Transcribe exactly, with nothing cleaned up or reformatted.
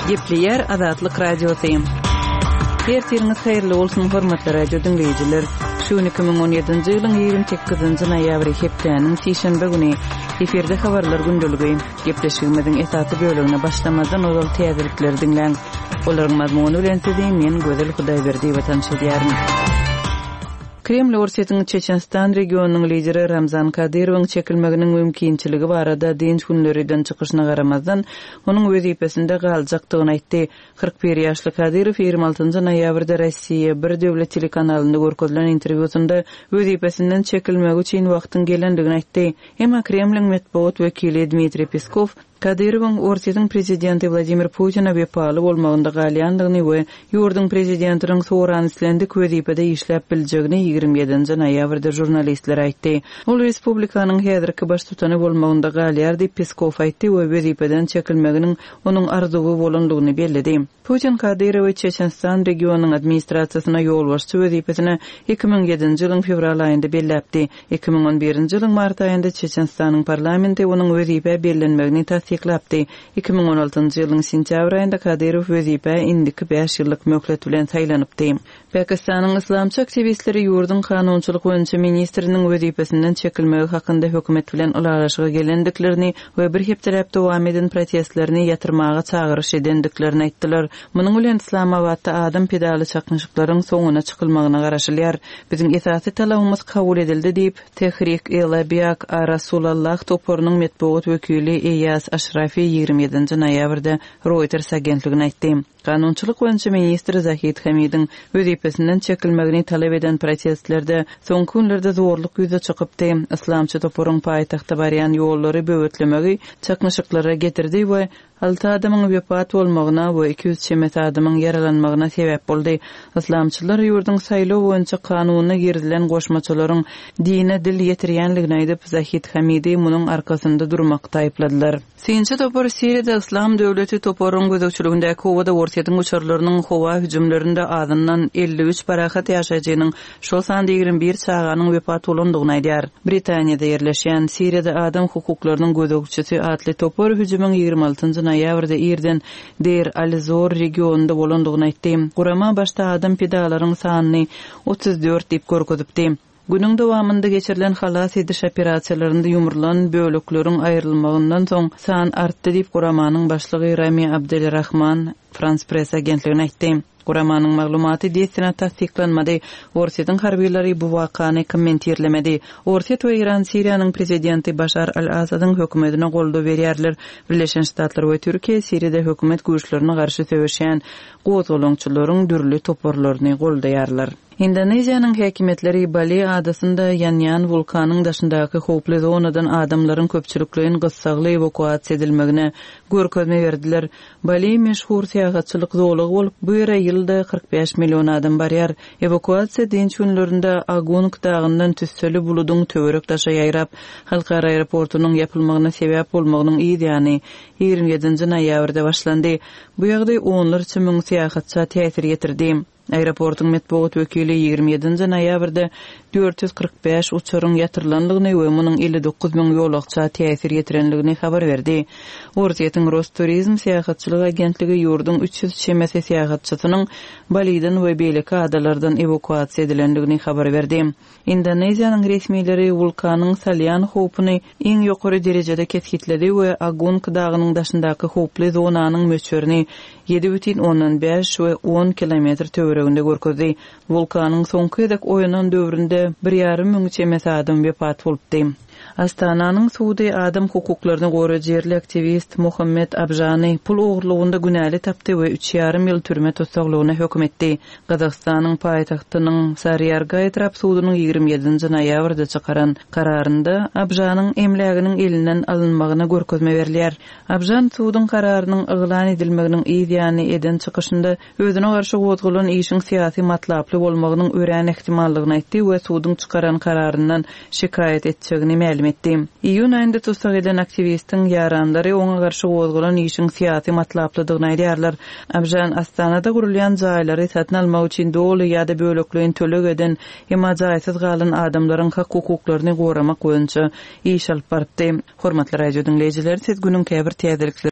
Gepleýär Azatlyk Radiosy. Ertiriňiz haýyrly bolsun, hormatly radio diňleýjiler. Şu gün iki müň on ýedinji ýylyň ýigrimi sekizinji noýabry, hepdäniň sişenbe güni. Efirde habarlar gündeligi. Gepleşigimiziň esasy bölegine başlamazdan ozal täzelikleri diňläň. Olaryň mazmuny bilen sizi men Gözel Hudaýberdiýewa tanyş edýärin. Kreml Orsýetiň Çeçenistan regionynyň lideri Ramzan Kadyrowyň çekilmeginiň mümkinçiligi barada dynç günleri eden çykyşyna garamazdan, onuň wezipesinde galjakdygyny aýtdy. Kyrk bir ýaşly Kadyrow ýigrimi altynjy noýabrda Rossiýa bir döwlet telekanalynda görkezilen interwýusynda wezipesinden çekilmegi üçin wagtyň gelendigini aýtdy. Emma Kremliň metbugat wekili Dmitriý Peskow Kadyrowyň Orsýetiň prezidenti Wladimir Putine wepaly bolmagynda galýandygyny we ýurduň prezidentiniň soran islendik wezipede işläp biljegini ýigrimi ýedinji noýabrda žurnalistlere aýtdy. Ol respublikanyň häzirki baştutany bolmagynda galýar diýip Peskow aýtdy we wezipeden çekilmeginiň onuň arzuwy bolandygyny belledi. Putin Kadyrowy Çeçenistan regionynyň administrasiýasyna ýolbaşçy wezipesine iki müň ýedinji ýylyň fewral aýynda belläpdi. Iki müň on birinji ýylyň mart aýynda Çeçenistanyň parlamenti onuň wezipä bellenmegini tassyklapdy. Iki müň on altynjy ýylyň sentýabr aýynda Kadyrow wezipä indiki bäş ýyllyk möhlet bilen saýlanypdy. Pakistanyň yslamçy aktiwistleri ýurduň kanunçylyk boýunça ministriniň wezipesinden çekilmegi hakynda hökümet bilen ylalaşyga gelendiklerini we bir hepdeläp dowam eden protestlerini ýatyrmaga çagyryş edendiklerini aýtdylar. Munuň bilen Islamabatda adam pedaly çaknyşyklaryň soňuna çykylmagyna garaşylýar. Biziň esasy talabymyz kabul edildi diýip, Tehrik-e-Labiak Arasulallah toparynyň metbugat wekili Eýas Aşrafi ýigrimi ýedinji noýabrda Reuters agentligine aýtdy. Kanunçylyk boýunça ministr Zahid Hamidiň wezipesinden çekilmegini talap eden protestlerde soňky günlerde zorluk ýüze çykypdy. Islamçy toparyň paýtagta barýan ýollary böwetlemegi çaknyşyklara getirdi we alty adamyň wepat bolmagyna we iki ýüz çemesi adamyň ýaralanmagyna sebäp boldy. Islamçylar ýurduň saýlaw boýunça kanunyna girizilen goşmaçalaryň dine dil ýetirýänligini aýdyp, Zahid Hamidi munuň arkasynda durmakda aýypladylar. Synçy topar Siriýada Islam döwleti toparyň gözegçiligindäki howada Orsýetiň uçarlarynyň howa hüjümlerinde azyndan elli üç parahat ýaşaýjynyň, şol sanda ýigrimi bir çaganyň wepat bolandygyny aýdýar. Britaniýada ýerleşýän Siriýada adam hukuklarynyň gözegçisi atly topar hüjümiň ýigrimi altynjy noýabrda irden Deir al-Zor regionynda bolandygyny aýtdy. Gurama başda adam pidalaryň sanyny otuz dört diýip görkezipdi. Günüň dowamynda geçirilen halas ediş operasiýalarynda ýumrulan bölekleriň aýrylmagyndan soň san artdy diýip Guramanyň başlygy Rami Abdelrahman Frans Press agentligine aýtdy. Guramanyň maglumaty dessine tassyklanmady. Orsýetiň harbylary bu wakany kommentirlemedi. Orsýet we Iran Siriýanyň prezidenti Başar al-Asadyň hökümetine goldaw berýärler. Birleşen Ştatlar we Türkiýe Siriýada hökümet güýçlerine garşy söweşýän gozgalaňçylaryň dürli toparlaryny goldaýarlar. Indoneziýanyň häkimiýetleri Bali adasynda ýanýan wulkanyň daşyndaky howply zonadan adamlaryň köpçülikleýin gyssagly ewakuasiýa edilmegine görkezme berdiler. Bali meşhur syýahatçylyk zolagy bolup, bu ýere ýylda kyrk bäş million adam barýar. Ewakuasiýa dynç günlerinde Agung dagyndan tüsseli buludyň töwerek daşa ýaýrap, halkara aeroportunyň ýapylmagyna sebäp bolmagynyň yz ýany ýigrimi ýedinji noýabrda başlandy. Bu ýagdaý onlarça müň syýahatça täsir ýetirdi. Aeroportuň metbugat wekili ýigrimi ýedinji noýabrda dört ýüz kyrk bäş uçaryň ýatyrylandygyny we munuň elli dokuz müň ýolagça täsir ýetirendigini habar berdi. Orsýetiň Rosturizm syýahatçylyk agentligi ýurduň üç ýüz çemesi syýahatçysynyň Baliden we beýleki adalardan ewakuasiýa edilendigini habar berdi. Indoneziýanyň resmileri wulkanyň salýan howpuny iň ýokary derejede kesgitledi we Agung dagynyň daşyndaky howply zonanyň möçberini ýedi bütin ondan bäş we on kilometr töwereginde görkezdi. Wulkanyň soňky gezek oýanan döwründe bir ýarym müň çemesi adam wepat bolupdy. Astananyň sudy adam hukuklaryny goraýjy ýerli aktiwist Muhammed Abjany pul ogurlygynda günäli tapdy we üç ýarym ýyl türme tussaglygyna höküm etdi. Gazagystanyň paýtagtynyň Saryarga etrap sudunyň ýigrimi ýedinji noýabrda çykaran kararynda Abjanyň emläginiň elinden alynmagyna görkezme berilýär. Abjan suduň kararynyň yglan edilmeginiň yz ýany eden çykyşynda özüne garşy gozgalan işiň syýasy matlaply bolmagynyň örän ähtimallygyny aýtdy we suduň çykaran kararyndan şikaýat etjegini mälim etdi. Iýun aýynda tussag edilen aktiwistiň ýaranlary oňa garşy gozgalan işiň syýasy matlaplydygyny aýdýarlar. Abjan Astanada gurulýan jaýlary satyn almak üçin doly ýa-da bölekleýin töleg eden, emma jaýsyz galan adamlaryň hak hukuklaryny goramak boýunça iş alyp barypdy. Hormatly radio diňleýjiler, siz günüň käbir täzelikleri